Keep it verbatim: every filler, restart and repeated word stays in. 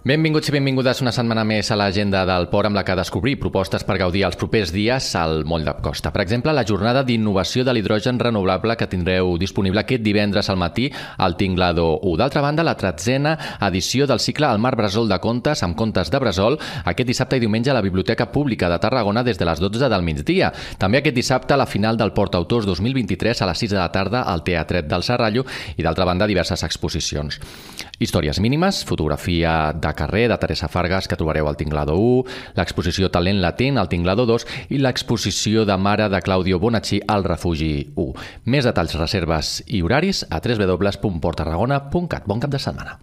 Benvinguts i benvingudes una setmana més a l'agenda del Port, amb la que descobrir propostes per gaudir els propers dies al Moll de Costa. Per exemple, la jornada d'innovació de l'hidrogen renovable que tindreu disponible aquest divendres al matí al Tinglado u. D'altra banda, la tretzena edició del cicle El Mar Bressol de Contes, amb contes de Bressol, aquest dissabte i diumenge a la Biblioteca Pública de Tarragona des de les dotze del migdia. També aquest dissabte la final del Port Autors dos mil vint-i-tres a les sis de la tarda al Teatret del Serrallo i, d'altra banda, diverses exposicions. Històries mínimes, fotografia de carrer de Teresa Fargas que trobareu al Tinglado u, l'exposició Talent Latent al Tinglado dos i l'exposició de Mare de Claudio Bonacci al Refugi u. Més detalls, reserves i horaris a w w w punt port tarragona punt cat. Bon cap de setmana.